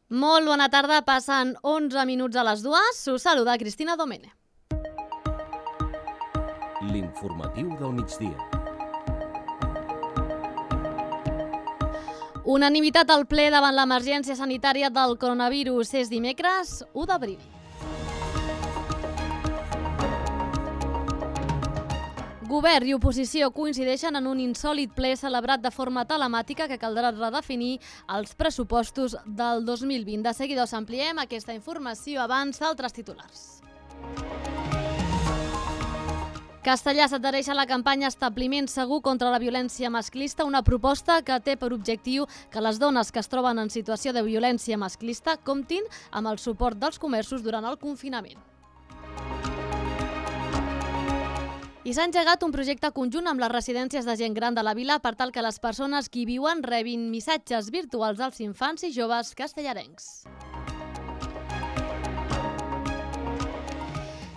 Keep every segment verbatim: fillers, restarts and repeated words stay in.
Molt bona tarda, passen onze minuts a les dues. Us saluda Cristina Domene. L'informatiu del migdia. Unanimitat al ple davant l'emergència sanitària del coronavirus. És dimecres, u d'abril. Govern i oposició coincideixen en un insòlit ple celebrat de forma telemàtica que caldrà redefinir els pressupostos del dos mil vint. De seguida us ampliem aquesta informació abans d'altres titulars. Castellà s'adhereix a la campanya Establiment Segur contra la violència masclista, una proposta que té per objectiu que les dones que es troben en situació de violència masclista comptin amb el suport dels comerços durant el confinament. I s'ha engegat un projecte conjunt amb les residències de gent gran de la vila per tal que les persones que hi viuen rebin missatges virtuals als infants i joves castellarencs.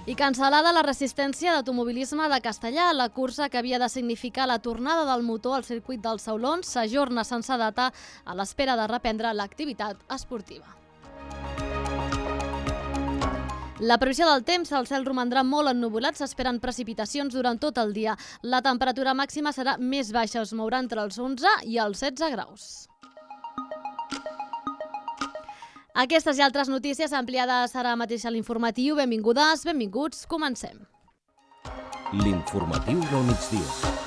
I cancel·lada la resistència d'automobilisme de Castellà. La cursa que havia de significar la tornada del motor al circuit dels Saulons s'ajorna sense data a l'espera de reprendre l'activitat esportiva. La previsió del temps, el cel romandrà molt ennuvolat, s'esperen precipitacions durant tot el dia. La temperatura màxima serà més baixa, es mourà entre els onze i els setze graus. Aquestes i altres notícies ampliades ara mateix a l'informatiu. Benvingudes, benvinguts, comencem. L'informatiu del migdia.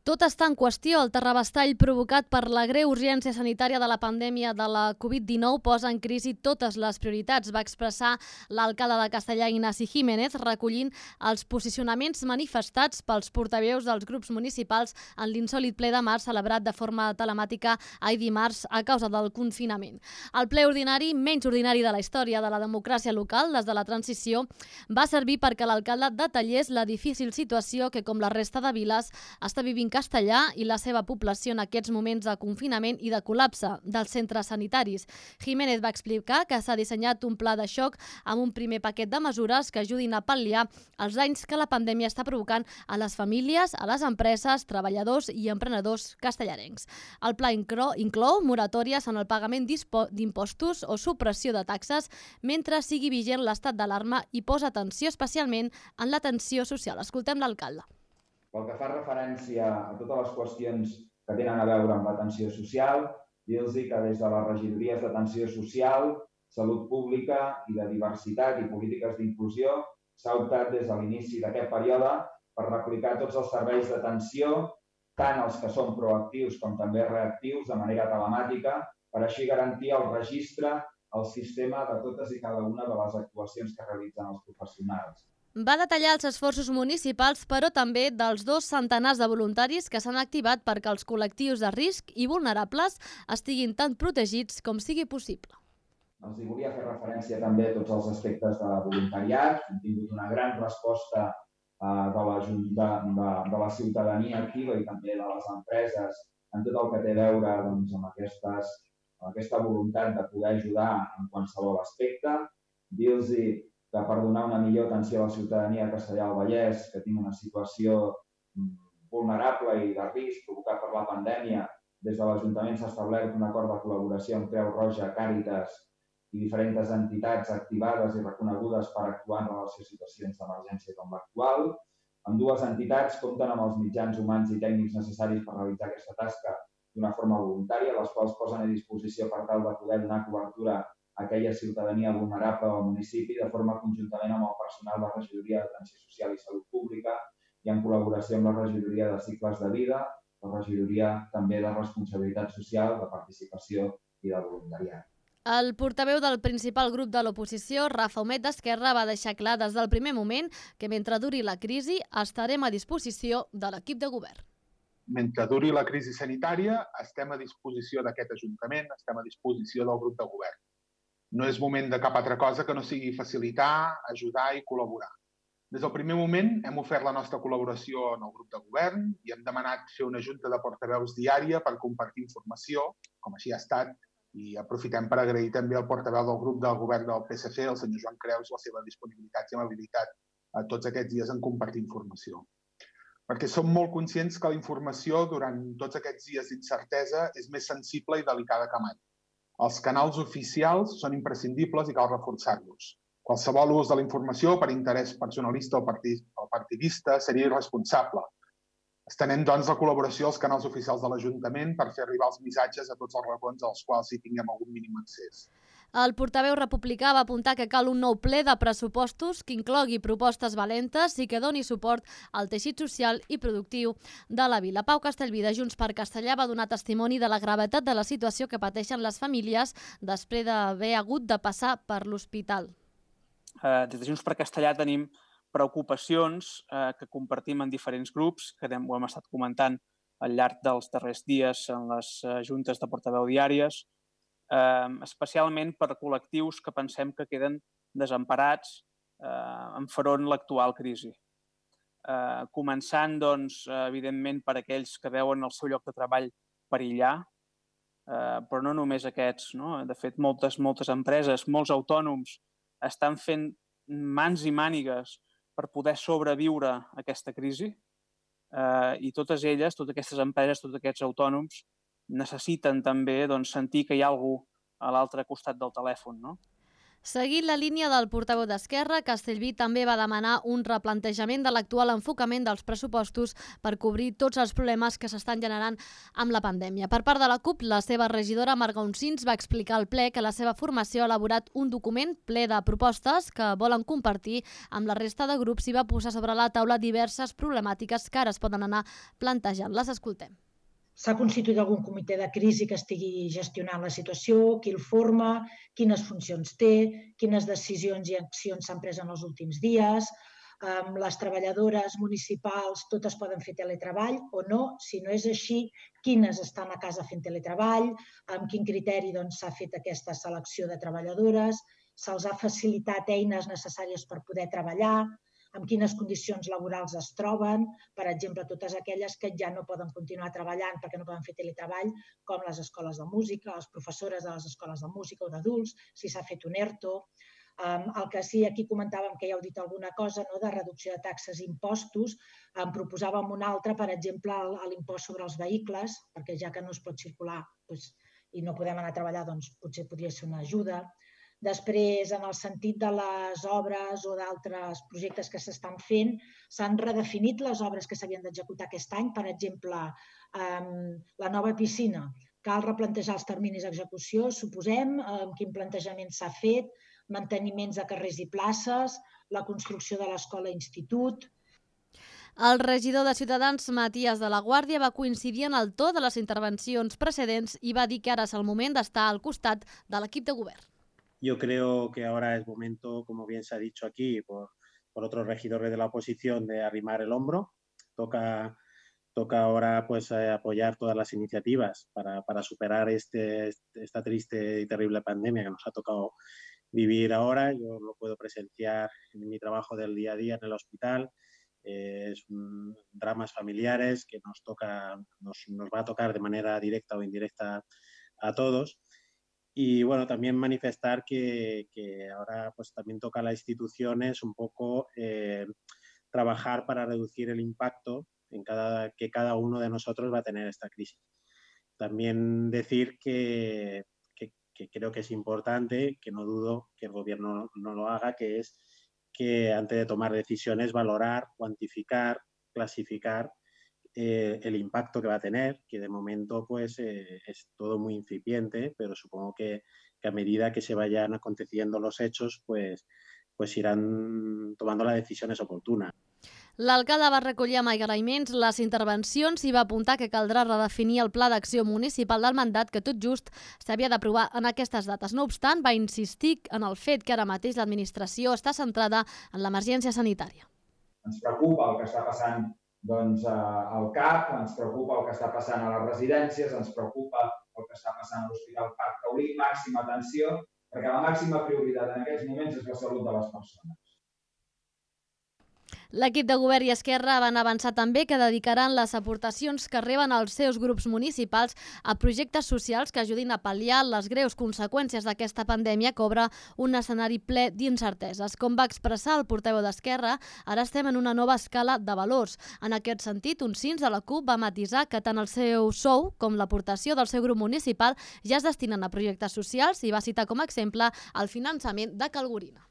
Tot està en qüestió. El terrabastall provocat per la greu urgència sanitària de la pandèmia de la covid dinou posa en crisi totes les prioritats, va expressar l'alcalde de Castellà, Ignasi Jiménez, recollint els posicionaments manifestats pels portaveus dels grups municipals en l'insòlit ple de març celebrat de forma telemàtica ahir dimarts a causa del confinament. El ple ordinari, menys ordinari de la història de la democràcia local des de la transició, va servir perquè l'alcalde detallés la difícil situació que, com la resta de viles, està vivint Castellà i la seva població en aquests moments de confinament i de col·lapse dels centres sanitaris. Jiménez va explicar que s'ha dissenyat un pla de xoc amb un primer paquet de mesures que ajudin a pal·liar els danys que la pandèmia està provocant a les famílies, a les empreses, treballadors i emprenedors castellarencs. El pla inclou, inclou moratòries en el pagament d'impostos o supressió de taxes mentre sigui vigent l'estat d'alarma i posa atenció especialment en l'atenció social. Escoltem l'alcalde. Pel que fa referència a totes les qüestions que tenen a veure amb l'atenció social, dir-los que des de les regidories d'atenció social, salut pública i de diversitat i polítiques d'inclusió s'ha optat des de l'inici d'aquest període per replicar tots els serveis d'atenció, tant els que són proactius com també reactius, de manera telemàtica, per així garantir el registre, el sistema de totes i cada una de les actuacions que realitzen els professionals. Va detallar els esforços municipals, però també dels dos centenars de voluntaris que s'han activat perquè els col·lectius de risc i vulnerables estiguin tan protegits com sigui possible. Els volia fer referència també a tots els aspectes de voluntariat. Hem tingut una gran resposta de la, de, de, de la ciutadania activa i també de les empreses en tot el que té a veure doncs, amb, aquestes, amb aquesta voluntat de poder ajudar en qualsevol aspecte. Dir-los que per donar una millor atenció a la ciutadania de Castellar del Vallès, que tinc una situació vulnerable i de risc provocat per la pandèmia, des de l'Ajuntament s'ha establert un acord de col·laboració amb Creu Roja, Càritas i diferents entitats activades i reconegudes per actuar en relació a situacions d'emergència com l'actual. Ambdues entitats compten amb els mitjans humans i tècnics necessaris per realitzar aquesta tasca d'una forma voluntària, les quals posen a disposició per tal de poder donar cobertura a aquella ciutadania vulnerable al municipi de forma conjuntament amb el personal de la Regidoria d'Atenció Social i Salut Pública i en col·laboració amb la Regidoria de Cicles de Vida, la Regidoria també de Responsabilitat Social, de Participació i de Voluntariat. El portaveu del principal grup de l'oposició, Rafa Humet d'Esquerra, va deixar clar des del primer moment que mentre duri la crisi estarem a disposició de l'equip de govern. Mentre duri la crisi sanitària estem a disposició d'aquest Ajuntament, estem a disposició del grup de govern. No és moment de cap altra cosa que no sigui facilitar, ajudar i col·laborar. Des del primer moment hem ofert la nostra col·laboració en el grup de govern i hem demanat fer una junta de portaveus diària per compartir informació, com així ha estat, i aprofitem per agrair també al portaveu del grup del govern del P S C, el senyor Joan Creus, la seva disponibilitat i amabilitat a tots aquests dies en compartir informació. perquè som molt conscients que la informació durant tots aquests dies d'incertesa és més sensible i delicada que mai. Els canals oficials són imprescindibles i cal reforçar-los. Qualsevol ús de la informació per interès personalista o partidista seria irresponsable. Estenem, doncs, la col·laboració als canals oficials de l'Ajuntament per fer arribar els missatges a tots els racons als quals hi tinguem algun mínim accés. El portaveu republicà va apuntar que cal un nou ple de pressupostos que inclogui propostes valentes i que doni suport al teixit social i productiu de la vila. Pau Castellví, de Junts per Castellà, va donar testimoni de la gravetat de la situació que pateixen les famílies després d'haver hagut de passar per l'hospital. Des de Junts per Castellà tenim preocupacions que compartim en diferents grups, que ho hem estat comentant al llarg dels darrers dies en les juntes de portaveu diàries, especialment per col·lectius que pensem que queden desemparats enfront l'actual crisi. Començant, doncs, evidentment, per aquells que veuen el seu lloc de treball perillar, però no només aquests. De fet, moltes, moltes empreses, molts autònoms estan fent mans i mànigues per poder sobreviure a aquesta crisi i totes elles, totes aquestes empreses, tots aquests autònoms necessiten també sentir que hi ha algú a l'altre costat del telèfon. Seguint la línia del portaveu d'Esquerra, Castellví també va demanar un replantejament de l'actual enfocament dels pressupostos per cobrir tots els problemes que s'estan generant amb la pandèmia. Per part de la CUP, la seva regidora Marga Uncins va explicar al ple que la seva formació ha elaborat un document ple de propostes que volen compartir amb la resta de grups i va posar sobre la taula diverses problemàtiques que ara es poden anar plantejant. Les escoltem. S'ha constituït algun comitè de crisi que estigui gestionant la situació, qui el forma, quines funcions té, quines decisions i accions s'han pres en els últims dies. Les treballadores municipals totes poden fer teletreball o no? Si no és així, quines estan a casa fent teletreball? Amb quin criteri s'ha fet aquesta selecció de treballadores? Se'ls ha facilitat eines necessàries per poder treballar? Amb quines condicions laborals es troben, per exemple, totes aquelles que ja no poden continuar treballant perquè no poden fer teletreball, com les escoles de música, les professores de les escoles de música o d'adults, si s'ha fet un ERTO. El que sí, aquí comentàvem que ja heu dit alguna cosa de reducció de taxes i impostos, en proposàvem una altra, per exemple, l'impost sobre els vehicles, perquè ja que no es pot circular i no podem anar a treballar, doncs potser podria ser una ajuda. Després, en el sentit de les obres o d'altres projectes que s'estan fent, s'han redefinit les obres que s'havien d'executar aquest any. Per exemple, la nova piscina. Cal replantejar els terminis d'execució, suposem, quin plantejament s'ha fet, manteniments de carrers i places, la construcció de l'escola-institut. El regidor de Ciutadans, Matías de la Guàrdia, va coincidir en el to de les intervencions precedents i va dir que ara és el moment d'estar al costat de l'equip de govern. Yo creo que ahora es momento, como bien se ha dicho aquí por, por otros regidores de la oposición, de arrimar el hombro. Toca, toca ahora pues, eh, apoyar todas las iniciativas para, para superar este, esta triste y terrible pandemia que nos ha tocado vivir ahora. Yo lo puedo presenciar en mi trabajo del día a día en el hospital. Eh, es un, dramas familiares que nos, toca, nos, nos va a tocar de manera directa o indirecta a todos. Y bueno, también manifestar que, que ahora pues también toca a las instituciones un poco eh, trabajar para reducir el impacto en cada, que cada uno de nosotros va a tener esta crisis. También decir que, que, que creo que es importante, que no dudo que el gobierno no lo haga, que es que antes de tomar decisiones valorar, cuantificar, clasificar Eh, el impacto que va a tener, que de momento pues eh, es todo muy incipiente, pero supongo que, que a medida que se vayan aconteciendo los hechos, pues, pues irán tomando las decisiones oportunas. L'alcalde va recollir amb agraïments les intervencions i va apuntar que caldrà redefinir el pla d'acció municipal del mandat que tot just s'havia d'aprovar en aquestes dates. No obstant, va insistir en el fet que ara mateix l'administració està centrada en l'emergència sanitària. Ens preocupa el que està passant doncs, al C A P, ens preocupa el que està passant a les residències, ens preocupa el que està passant a l'Hospital Parc Taulí, màxima atenció, perquè la màxima prioritat en aquests moments és la salut de les persones. L'equip de govern i Esquerra van avançar també que dedicaran les aportacions que reben els seus grups municipals a projectes socials que ajudin a pal·liar les greus conseqüències d'aquesta pandèmia que obre un escenari ple d'incerteses. Com va expressar el portaveu d'Esquerra, ara estem en una nova escala de valors. En aquest sentit, un cins de la CUP va matisar que tant el seu sou com l'aportació del seu grup municipal ja es destinen a projectes socials i va citar com a exemple el finançament de Calgorina.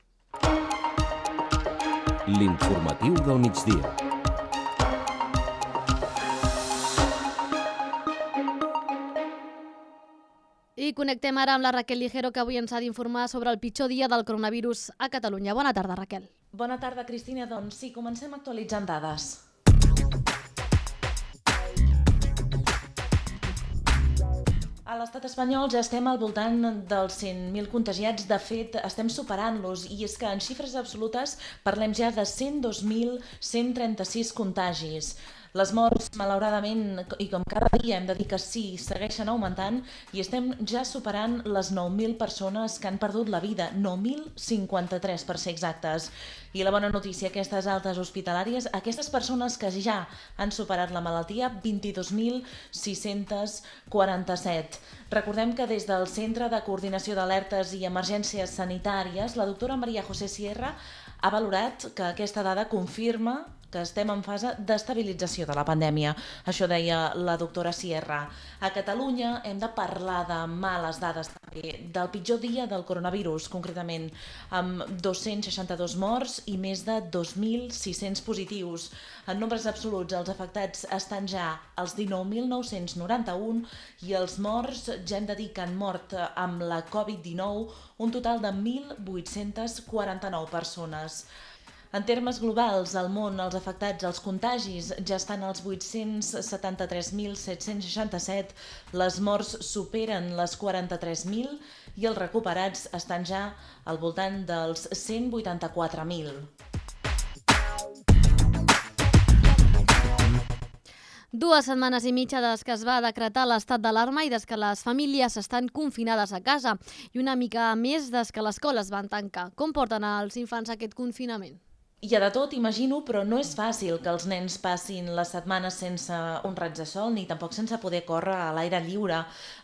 L'informatiu del migdia. I connectem ara amb la Raquel Ligero, que avui ens ha d'informar sobre el pitjor dia del coronavirus a Catalunya. Bona tarda, Raquel. Bona tarda, Cristina. Doncs sí, comencem actualitzant dades. A l'estat espanyol ja estem al voltant dels cent mil contagiats. De fet, estem superant-los, i és que en xifres absolutes parlem ja de cent dos mil cent trenta-sis contagis. Les morts, malauradament, i com cada dia hem de dir que sí, segueixen augmentant i estem ja superant les nou mil persones que han perdut la vida, nou mil cinquanta-tres per ser exactes. I la bona notícia, aquestes altes hospitalàries, aquestes persones que ja han superat la malaltia, vint-i-dos mil sis-cents quaranta-set. Recordem que des del Centre de Coordinació d'Alertes i Emergències Sanitàries, la doctora Maria José Sierra ha valorat que aquesta dada confirma que estem en fase d'estabilització de la pandèmia. Això deia la doctora Sierra. A Catalunya hem de parlar de males dades també, del pitjor dia del coronavirus, concretament, amb dos-cents seixanta-dos morts i més de dos mil sis-cents positius. En nombres absoluts, els afectats estan ja als dinou mil nou-cents noranta-un i els morts ja hem de dir que han mort amb la covid dinou un total de mil vuit-cents quaranta-nou persones. En termes globals, al món, els afectats, els contagis, ja estan als vuit-cents setanta-tres mil set-cents seixanta-set, les morts superen les quaranta-tres mil i els recuperats estan ja al voltant dels cent vuitanta-quatre mil. Dues setmanes i mitja des que es va decretar l'estat d'alarma i des que les famílies estan confinades a casa, i una mica més des que les escoles van tancar. Com porten els infants aquest confinament? Hi ha de tot, imagino, però no és fàcil que els nens passin les setmanes sense un raig de sol ni tampoc sense poder córrer a l'aire lliure.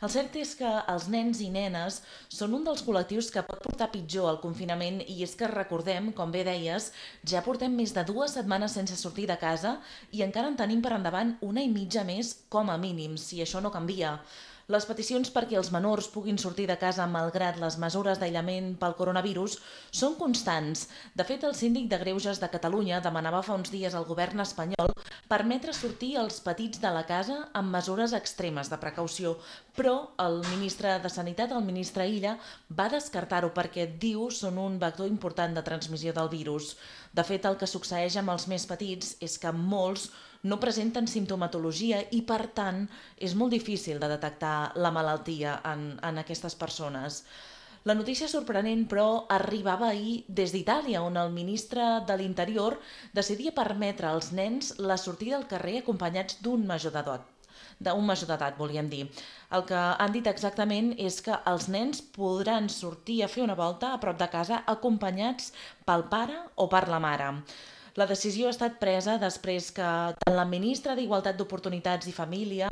El cert és que els nens i nenes són un dels col·lectius que pot portar pitjor el confinament, i és que recordem, com bé deies, ja portem més de dues setmanes sense sortir de casa i encara en tenim per endavant una i mitja més com a mínim, si això no canvia. Les peticions perquè els menors puguin sortir de casa malgrat les mesures d'aïllament pel coronavirus són constants. De fet, el síndic de Greuges de Catalunya demanava fa uns dies al govern espanyol permetre sortir els petits de la casa amb mesures extremes de precaució, però el ministre de Sanitat, el ministre Illa, va descartar-ho perquè, diu, són un vector important de transmissió del virus. De fet, el que succeeix amb els més petits és que molts no presenten simptomatologia i, per tant, és molt difícil de detectar la malaltia en, en aquestes persones. La notícia sorprenent, però, arribava ahir des d'Itàlia, on el ministre de l'Interior decidia permetre als nens la sortida al carrer acompanyats d'un major d'edat. d'un major d'edat, volíem dir. El que han dit exactament és que els nens podran sortir a fer una volta a prop de casa acompanyats pel pare o per la mare. La decisió ha estat presa després que tant la ministra d'Igualtat d'Oportunitats i Família,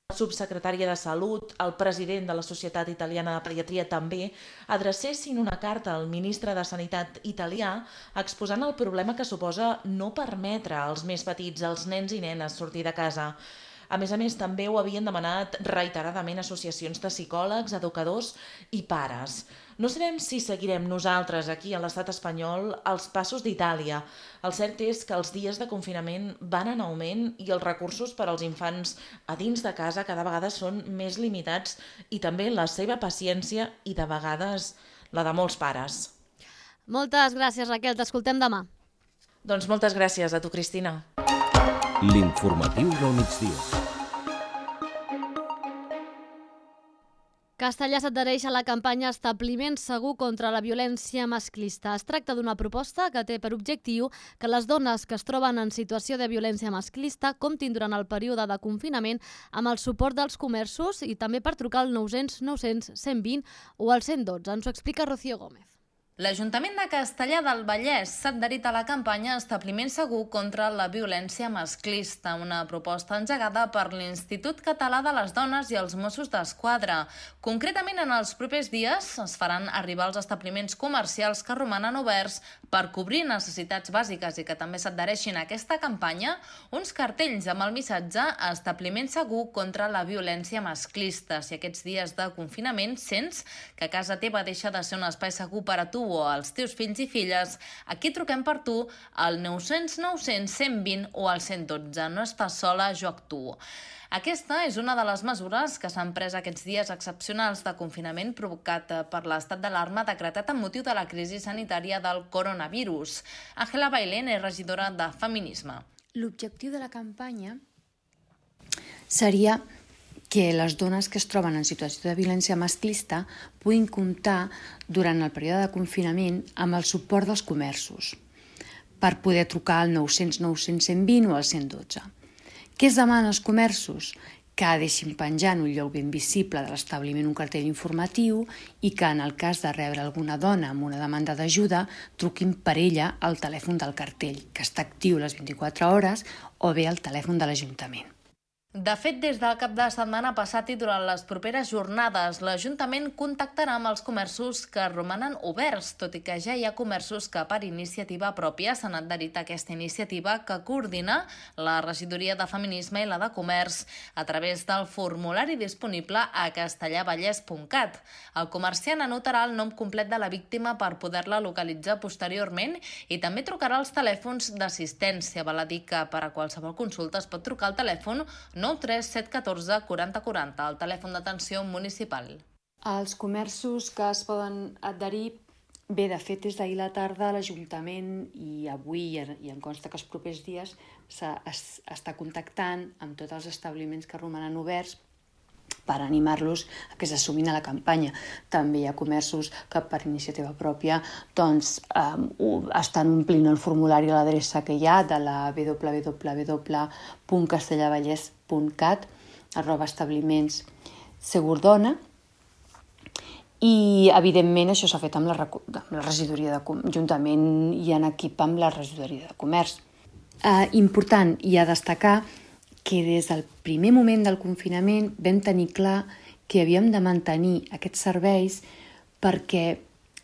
la subsecretària de Salut, el president de la Societat Italiana de Pediatria també, adrecessin una carta al ministre de Sanitat italià exposant el problema que suposa no permetre als més petits, als nens i nenes, sortir de casa. A més a més, també ho havien demanat reiteradament associacions de psicòlegs, educadors i pares. No sabem si seguirem nosaltres aquí a l'estat espanyol els passos d'Itàlia. El cert és que els dies de confinament van en augment i els recursos per als infants a dins de casa cada vegada són més limitats, i també la seva paciència i, de vegades, la de molts pares. Moltes gràcies, Raquel. T'escoltem demà. Doncs moltes gràcies a tu, Cristina. L'informatiu del migdia. Castellà s'adhereix a la campanya Establiment Segur contra la Violència Masclista. Es tracta d'una proposta que té per objectiu que les dones que es troben en situació de violència masclista comptin durant el període de confinament amb el suport dels comerços i també per trucar al nou cents nou cents cent vint o al cent dotze. Ens ho explica Rocío Gómez. L'Ajuntament de Castellar del Vallès s'ha adherit a la campanya Establiment segur contra la violència masclista, una proposta engegada per l'Institut Català de les Dones i els Mossos d'Esquadra. Concretament, en els propers dies es faran arribar als establiments comercials que romanen oberts per cobrir necessitats bàsiques i que també s'adhereixin a aquesta campanya uns cartells amb el missatge Establiment segur contra la violència masclista. Si aquests dies de confinament sents que casa teva deixa de ser un espai segur per a tu o als teus fills i filles, aquí truquem per tu al nou cents nou cents cent vint o al cent dotze. No estàs sola, jo actuo. Aquesta és una de les mesures que s'han pres aquests dies excepcionals de confinament provocat per l'estat d'alarma decretat amb motiu de la crisi sanitària del coronavirus. Ángela Bailén és regidora de Feminisme. L'objectiu de la campanya seria que les dones que es troben en situació de violència masclista puguin comptar durant el període de confinament amb el suport dels comerços per poder trucar al nou cents nou cents cent vint o al cent dotze. Què es demana als comerços? Que deixin penjar en un lloc ben visible de l'establiment un cartell informatiu i que en el cas de rebre alguna dona amb una demanda d'ajuda truquin per ella al telèfon del cartell, que està actiu les vint-i-quatre hores, o bé al telèfon de l'Ajuntament. De fet, des del cap de setmana passat i durant les properes jornades, l'Ajuntament contactarà amb els comerços que romanen oberts, tot i que ja hi ha comerços que per iniciativa pròpia s'han adherit a aquesta iniciativa que coordina la Regidoria de Feminisme i la de Comerç a través del formulari disponible a castellarvallès punt cat. El comerciant anotarà el nom complet de la víctima per poder-la localitzar posteriorment i també trucarà als telèfons d'assistència. Val a dir que per a qualsevol consulta es pot trucar al telèfon nou tres set un quatre quaranta quaranta, el telèfon d'atenció municipal. Els comerços que es poden adherir, bé, de fet, des d'ahir la tarda l'Ajuntament i avui, i em consta que els propers dies, està contactant amb tots els establiments que romanen oberts per animar-los a que s'assumin a la campanya. També hi ha comerços que per iniciativa pròpia doncs, eh, estan omplint el formulari a l'adreça que hi ha de la w w w punt castellarvallès punt cat arroba establiments segurdona i, evidentment, això s'ha fet amb la, amb la regidoria de Ajuntament i en equip amb la regidoria de Comerç. Eh, important i a destacar que des del primer moment del confinament vam tenir clar que havíem de mantenir aquests serveis perquè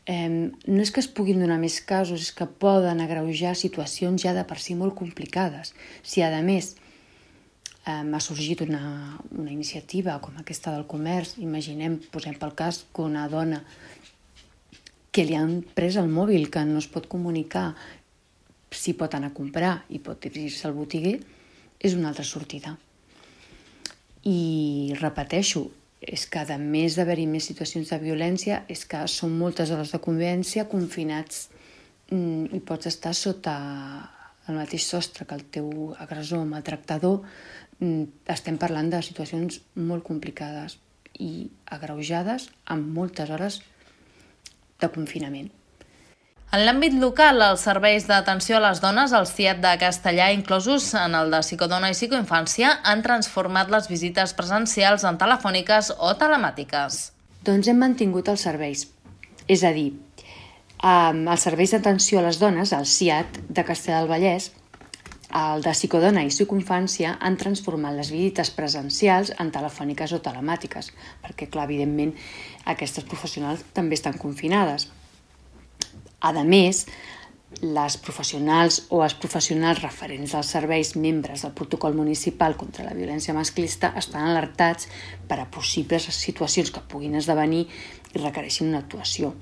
eh, no és que es puguin donar més casos, és que poden agreujar situacions ja de per si molt complicades. Si, a més, eh, ha sorgit una, una iniciativa com aquesta del comerç, imaginem, posem pel cas, que una dona que li han pres el mòbil, que no es pot comunicar si pot anar a comprar i pot dirigir-se al botiguer, és una altra sortida. I repeteixo, és que a més d'haver-hi més situacions de violència, és que són moltes hores de convivència confinats i pots estar sota el mateix sostre que el teu agressor o maltractador. Estem parlant de situacions molt complicades i agreujades amb moltes hores de confinament. En l'àmbit local, els serveis d'atenció a les dones, el C I A T de Castellar, inclosos en el de Psicodona i Psicoinfància, han transformat les visites presencials en telefòniques o telemàtiques. Doncs hem mantingut els serveis. És a dir, els serveis d'atenció a les dones, el C I A T de Castellar del Vallès, el de Psicodona i Psicoinfància, han transformat les visites presencials en telefòniques o telemàtiques, perquè, clar, evidentment, aquestes professionals també estan confinades. A més, les professionals o els professionals referents als serveis membres del protocol municipal contra la violència masclista estan alertats per a possibles situacions que puguin esdevenir i requereixin una actuació.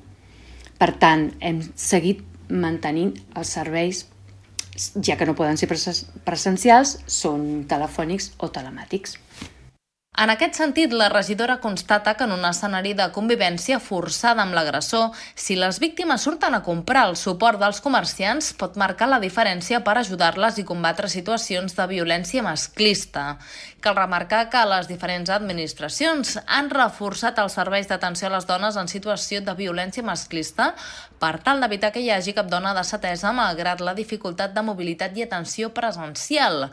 Per tant, hem seguit mantenint els serveis, ja que no poden ser presencials, són telefònics o telemàtics. En aquest sentit, la regidora constata que en un escenari de convivència forçada amb l'agressor, si les víctimes surten a comprar el suport dels comerciants, pot marcar la diferència per ajudar-les i combatre situacions de violència masclista. Cal remarcar que les diferents administracions han reforçat els serveis d'atenció a les dones en situació de violència masclista per tal d'evitar que hi hagi cap dona desatesa malgrat la dificultat de mobilitat i atenció presencial.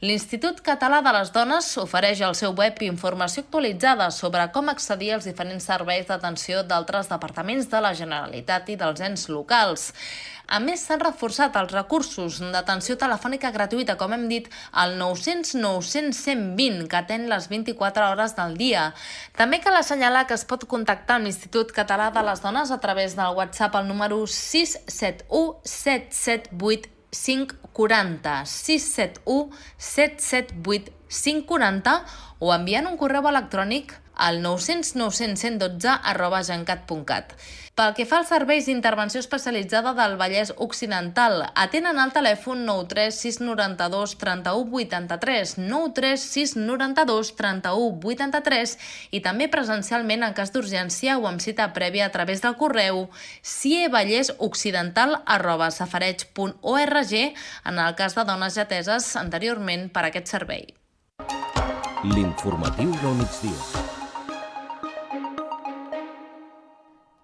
L'Institut Català de les Dones ofereix al seu web informació actualitzada sobre com accedir als diferents serveis d'atenció d'altres departaments de la Generalitat i dels ens locals. A més, s'han reforçat els recursos d'atenció telefònica gratuïta, com hem dit, al nou cents nou cents cent vint, que atén les vint-i-quatre hores del dia. També cal assenyalar que es pot contactar amb l'Institut Català de les Dones a través del WhatsApp al número sis set u set set vuit cinc quatre zero, sis set u set set vuit cinc quatre zero, o enviant un correu electrònic al nou cents nou cents cent dotze arroba gencat punt cat. Pel que fa als serveis d'intervenció especialitzada del Vallès Occidental, atenen al telèfon nou tres sis nou dos tres u vuit tres, nou tres sis nou dos tres u vuit tres, i també presencialment en cas d'urgència o amb cita prèvia a través del correu sievallesoccidental arroba safareig punt org en el cas de dones ja ateses anteriorment per aquest servei. L'informatiu del migdia.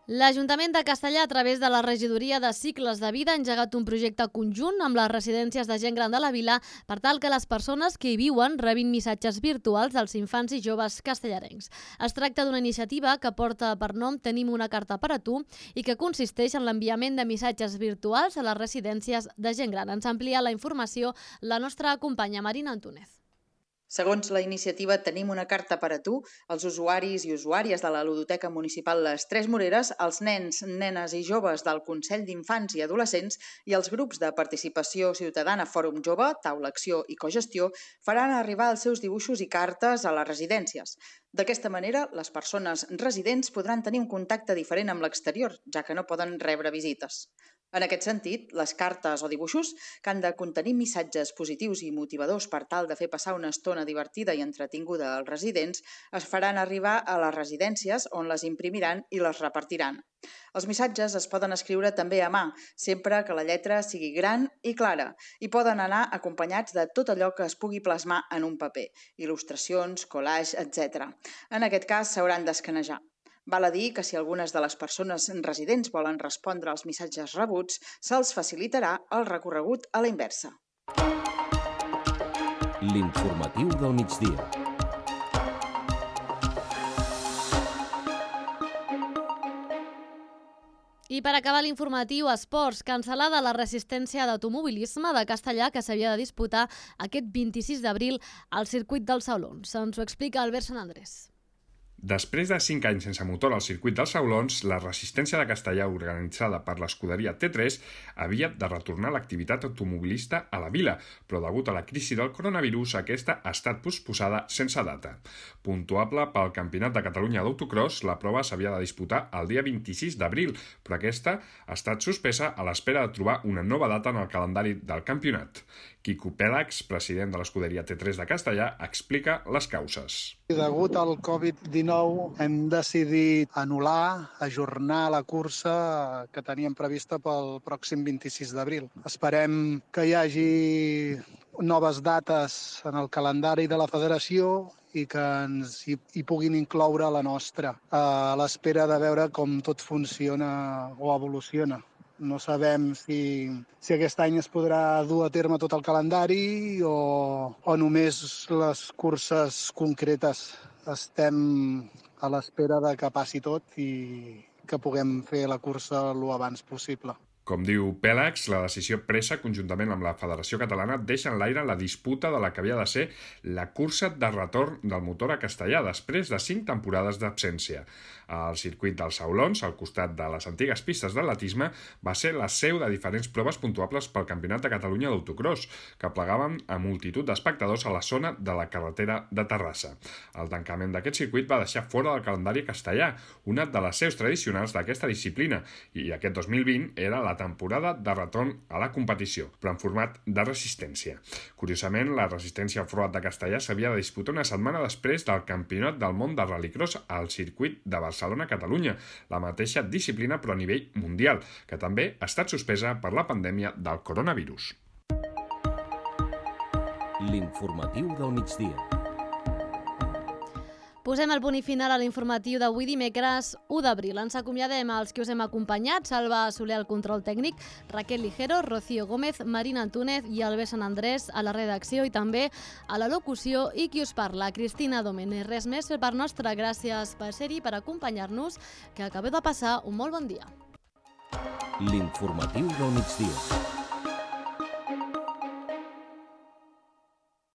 L'Ajuntament de Castellar, a través de la Regidoria de Cicles de Vida, ha engegat un projecte conjunt amb les residències de gent gran de la vila per tal que les persones que hi viuen rebin missatges virtuals als infants i joves castellarencs. Es tracta d'una iniciativa que porta per nom Tenim una carta per a tu i que consisteix en l'enviament de missatges virtuals a les residències de gent gran. Ens amplia la informació la nostra companya Marina Antúnez. Segons la iniciativa Tenim una carta per a tu, els usuaris i usuàries de la Ludoteca Municipal Les Tres Moreres, els nens, nenes i joves del Consell d'Infants i Adolescents i els grups de participació ciutadana Fòrum Jove, Taula Acció i Cogestió faran arribar els seus dibuixos i cartes a les residències. D'aquesta manera, les persones residents podran tenir un contacte diferent amb l'exterior, ja que no poden rebre visites. En aquest sentit, les cartes o dibuixos, que han de contenir missatges positius i motivadors per tal de fer passar una estona divertida i entretinguda als residents, es faran arribar a les residències on les imprimiran i les repartiran. Els missatges es poden escriure també a mà, sempre que la lletra sigui gran i clara, i poden anar acompanyats de tot allò que es pugui plasmar en un paper, il·lustracions, collage, etcètera. En aquest cas, s'hauran d'escanejar. Val a dir que si algunes de les persones residents volen respondre als missatges rebuts, se'ls facilitarà el recorregut a la inversa. L'informatiu del migdia. I per acabar l'informatiu, esports, cancel·lada la resistència d'automobilisme de Castellar que s'havia de disputar aquest vint-i-sis d'abril al circuit dels Saulons. Ens ho explica Albert Sant Andrés. Després de cinc anys sense motor al circuit dels Saulons, la resistència de Castellar organitzada per l'escuderia T tres havia de retornar l'activitat automobilista a la vila, però degut a la crisi del coronavirus aquesta ha estat posposada sense data. Puntuable pel Campionat de Catalunya d'autocross, la prova s'havia de disputar el dia vint-i-sis d'abril, però aquesta ha estat suspesa a l'espera de trobar una nova data en el calendari del campionat. Quico Pèlax, president de l'escuderia T tres de Castellar, explica les causes. Degut al covid dinou hem decidit anul·lar, ajornar la cursa que teníem prevista pel pròxim vint-i-sis d'abril. Esperem que hi hagi noves dates en el calendari de la federació i que ens hi, hi puguin incloure la nostra, a l'espera de veure com tot funciona o evoluciona. No sabem si, si aquest any es podrà dur a terme tot el calendari o, o només les curses concretes. Estem a l'espera de que passi tot i que puguem fer la cursa el abans possible. Com diu Pèlax, la decisió presa conjuntament amb la Federació Catalana deixa en l'aire la disputa de la que havia de ser la cursa de retorn del motor a Castellar després de cinc temporades d'absència. El circuit dels Saulons, al costat de les antigues pistes d'atletisme, va ser la seu de diferents proves puntuables pel Campionat de Catalunya d'autocross, que plegaven a multitud d'espectadors a la zona de la carretera de Terrassa. El tancament d'aquest circuit va deixar fora del calendari castellà, una de les seus tradicionals d'aquesta disciplina, i aquest dos mil vint era la temporada de retorn a la competició, però en format de resistència. Curiosament, la resistència off-road de Castellar s'havia de disputar una setmana després del Campionat del món de rallycross al circuit de Barcelona-Catalunya, la mateixa disciplina però a nivell mundial, que també ha estat suspesa per la pandèmia del coronavirus. L'informatiu del migdia. Posem el punt i final a l'informatiu d'avui dimecres u d'abril. Ens acomiadem als que us hem acompanyat, Salva Soler al control tècnic, Raquel Ligero, Rocío Gómez, Marina Antúnez i Albert Sant Andrés a la redacció i també a la locució, i qui us parla, Cristina Domènech. Res més per part nostra, gràcies per ser-hi, per acompanyar-nos, que acabeu de passar un molt bon dia. L'informatiu del migdia.